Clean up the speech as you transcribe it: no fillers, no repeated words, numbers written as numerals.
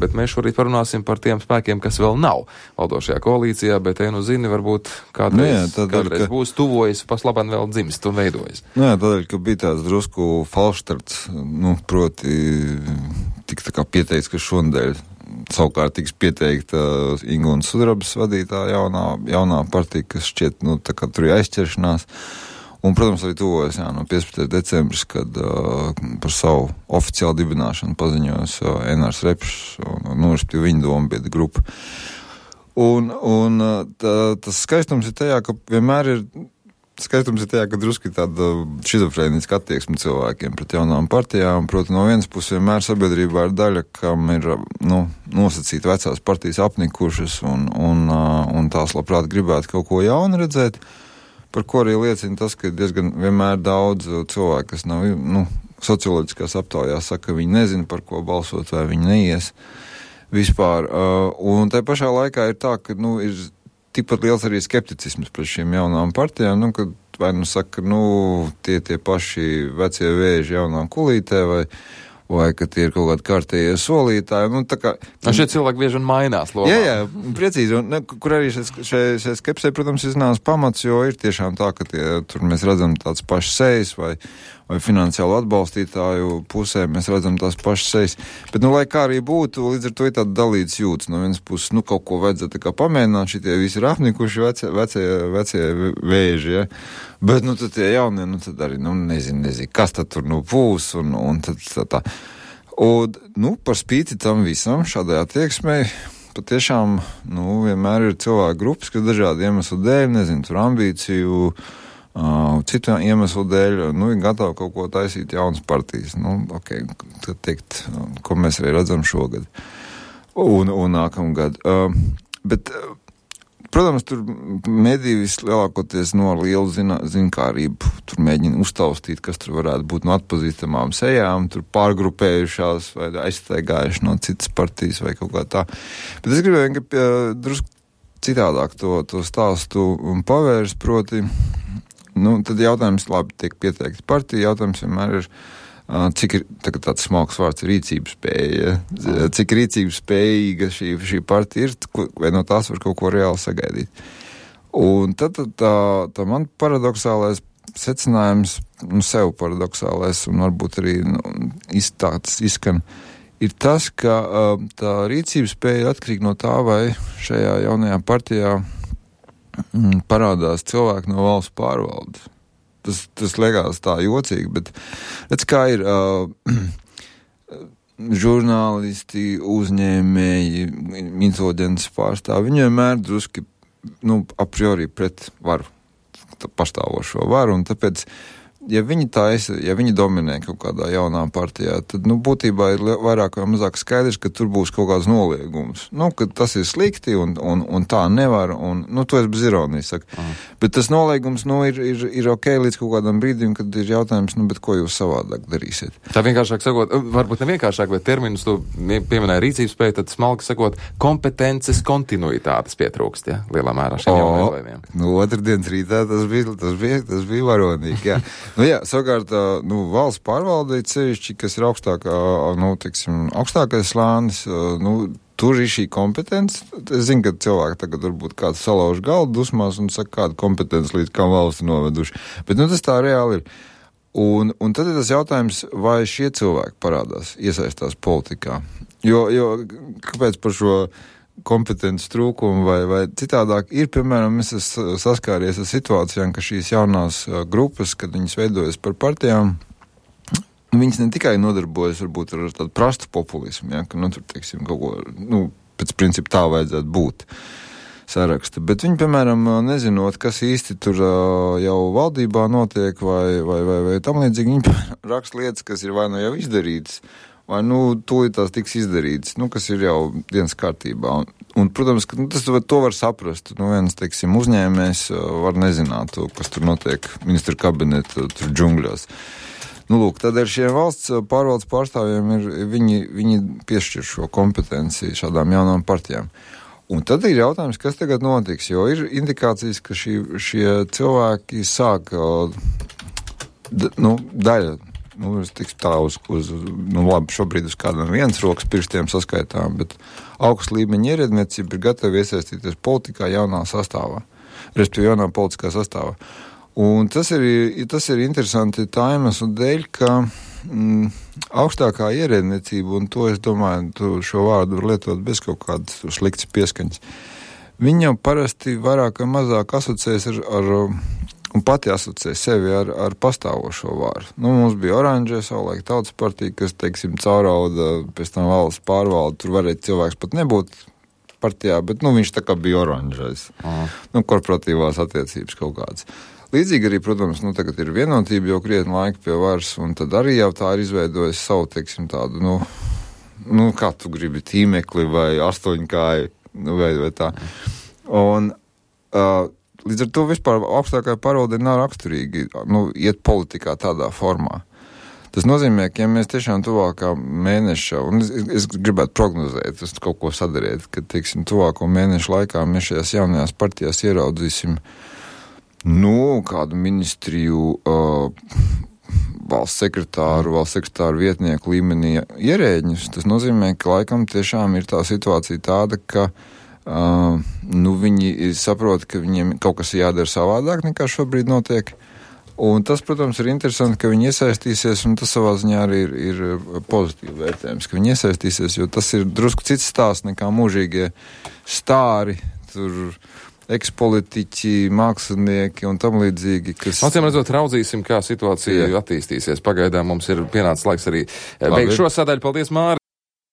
bet mēs šorīt parunāsim par tiem spēkiem, kas vēl nav valdošajā koalīcijā, bet zini, varbūt kādreiz būs tuvojas, paslaban vēl dzimst un veidojas. Jā, tādēļ, ka bija tāds drusku falštarts, proti tik tā kā pieteikts, ka šonadēļ savukārt tiks pieteikta Ingūnas Sudrabas vadītā jaunā partija, kas šķiet, tā kā tur ir aizķeršanās. Un, protams, arī tuvojas, 15. decembris, kad par savu oficiālu dibināšanu paziņojas Enārs Repšs un respektīvi viņa dombiedra grupa. Un tas skaistums ir tajā, ka vienmēr ir ka drusku ir tāda šizofrēniska attieksme cilvēkiem pret jaunām partijām. Proti, no vienas puses vienmēr sabiedrībā ir daļa, kam ir nosacīti vecās partijas apnikušas un tās labprāt gribētu kaut ko jaunu redzēt. Par ko arī liecina tas, ka diezgan vienmēr daudz cilvēku, kas nav, socioloģiskās aptaujās saka, ka viņi nezina, par ko balsot, vai viņi neies vispār. Un tai pašā laikā ir tā, ka, ir tikpat liels arī skepticisms pret šīm jaunām partijām, kad vai saka, tie paši vecie vēži jaunā kulītē, vai ka tie ir kaut kādi kārtējie solītāji. Šie cilvēki bieži vien mainās lomā. Jā, precīzi. Un, kur arī šai skepsē, protams, iznās pamats, jo ir tiešām tā, ka tur mēs redzam tāds pašs sejas vai finansiālu atbalstītāju pusē mēs redzam tās pašas sejas. Bet, lai kā arī būtu, līdz ar to ir tāda dalītas jūtas. No vienas puses, kaut ko vajadzētu tā kā pamēģināt, šitie visi ir apnikuši vecie vēži, ja? Bet, tad tie jaunie, tad arī, nezinu, kas tad tur būs, un tad tā. Un, par spīti tam visam, šādai attieksmei, patiešām, vienmēr ir cilvēku grupas, kas dažādi iemeslu dēļ, nezinu, tur ambīciju, citu iemeslu dēļ, ir gatavi kaut ko taisīt jaunas partijas. Tad teikt, ko mēs arī redzam šogad un nākamgad. Bet, protams, tur mediji vislielākoties no lielu zinkārību tur mēģina uztaustīt, kas tur varētu būt no atpazīstamām sejām, tur pārgrupējušās vai aizstaigājuši no citas partijas vai kaut kā tā. Bet es gribēju, ka drusku citādāk to stāstu un pavērst, proti, tad jautājums labi tiek pieteikti partija, jautājums vienmēr ir, cik ir, tāds smalks vārds, rīcības spēja, cik rīcības spējīga šī partija ir, vai no tās var kaut ko reāli sagaidīt. Un tad tā man paradoxālais secinājums, sev paradoxālais, un varbūt arī izskan, ir tas, ka tā rīcības spēja atkarīga no tā, vai šajā jaunajā partijā parādās cilvēki no valsts pārvaldes. Tas liekas tā jocīgi, bet redz, kā ir žurnālisti, uzņēmēji, inteliģences pārstāvi, viņi vienmēr druski, a priori pret varu, pastāvošo varu, un tāpēc, ja viņi dominē kaut kādā jaunā partijā, tad, būtībā ir vairāk vai mazāk skaidrs, ka tur būs kaut kāds noliegums. Ka tas ir slikti un tā nevar, un, to es bez ironijas saku. Bet tas noliegums, ir ok līdz kaut kādam brīdim, kad ir jautājums, bet ko jūs savādāk darīsiet? Tā vienkāršāk sakot, varbūt ne vienkāršāk, bet terminus tu pieminēji rīcības spēju, tad smalki sakot, kompetences kontinuitātes pietrūkst, ja, lielā mērā šiem jauniem. Otrdienas rītā tas bija varonīgi, jā. Savukārt, valsts pārvaldīt sevišķi, kas ir augstākais slānis, tur ir šī kompetence. Es zinu, ka cilvēki tagad varbūt kāds salauž galdu dusmās un saka, kāda kompetence līdz kā valsts noveduši. Bet, tas tā reāli ir. Un tad ir tas jautājums, vai šie cilvēki parādās, iesaistās politikā. Jo kāpēc par šo kompetences trūkumu vai citādāk ir, piemēram, es esmu saskāries ar situācijām, ka šīs jaunās grupas, kad viņas veidojas par partijām, viņas ne tikai nodarbojas varbūt ar tādu prastu populismu, ja, ka, tur, teiksim, kaut ko, pēc principa tā vajadzētu būt saraksta, bet viņi, piemēram, nezinot, kas īsti tur jau valdībā notiek vai tam līdzīgi, viņi raksta lietas, kas ir vai jau izdarītas, vai, tūlīt tās tiks izdarītas, kas ir jau dienas kārtībā. Un protams, ka to var saprast. Viens, teiksim, uzņēmējs var nezināt, kas tur notiek ministra kabineta tur džungļos. Tad ar šiem valsts pārvaldes pārstāvjiem viņi piešķir šo kompetenci šādām jaunām partijām. Un tad ir jautājums, kas tagad notiks, jo ir indikācijas, ka šie cilvēki sāk, daļa tiks tā labi, šobrīd uz kādam viens rokas pirkstiem saskaitām, bet augsts līmeņa ierēdniecība ir gatava iesaistīties politikā jaunā sastāvā, respektīvi jaunā politiskā sastāvā. Un tas ir interesanti tā iemesla dēļ, ka augstākā ierēdniecība, un to es domāju, tu šo vārdu var lietot bez kaut kādas sliktas pieskaņas, viņi jau parasti vairāk vai mazāk asociēs un pati asociē sevi ar pastāvošo vāru. Mums bija Oranžē savulaik Tautas partija, kas, teiksim, caurauda, pēc tam valsts pārvalda, tur varēja cilvēks pat nebūt partijā, bet, viņš tā kā bija Oranžais. Korporatīvās attiecības kaut kādas. Līdzīgi arī, protams, tagad ir vienotība jau krietni laika pie varas, un tad arī jau tā ir izveidojis savu, teiksim, tādu, kā tu gribi, tīmekli vai astoņkāju, vai tā. Un līdz ar to vispār augstākā pārvalde nav raksturīgi, iet politikā tādā formā. Tas nozīmē, ka ja mēs tiešām tuvākā mēneša, un es gribētu prognozēt, es kaut ko sadarīt, ka, teiksim, tuvāko mēnešu laikā mēs šajās jaunajās partijās ieraudzīsim, kādu ministriju, valsts sekretāru vietnieku līmenī ierēģņus. Tas nozīmē, ka laikam tiešām ir tā situācija tāda, ka viņi saprot, ka viņiem kaut kas jādara savādāk nekā šobrīd notiek. Un tas, protams, ir interesanti, ka viņi iesaistīsies, un tas savā ziņā arī ir pozitīvi vērtējums, ka viņi iesaistīsies, jo tas ir drusku cits stāsts nekā mūžīgie stāri, tur ekspolitiķi, mākslinieki un tam līdzīgi, kas... Acīm redzot, raudzīsim, kā situācija attīstīsies. Pagaidām mums ir pienācis laiks arī beigt šo sadaļu. Paldies, Māri!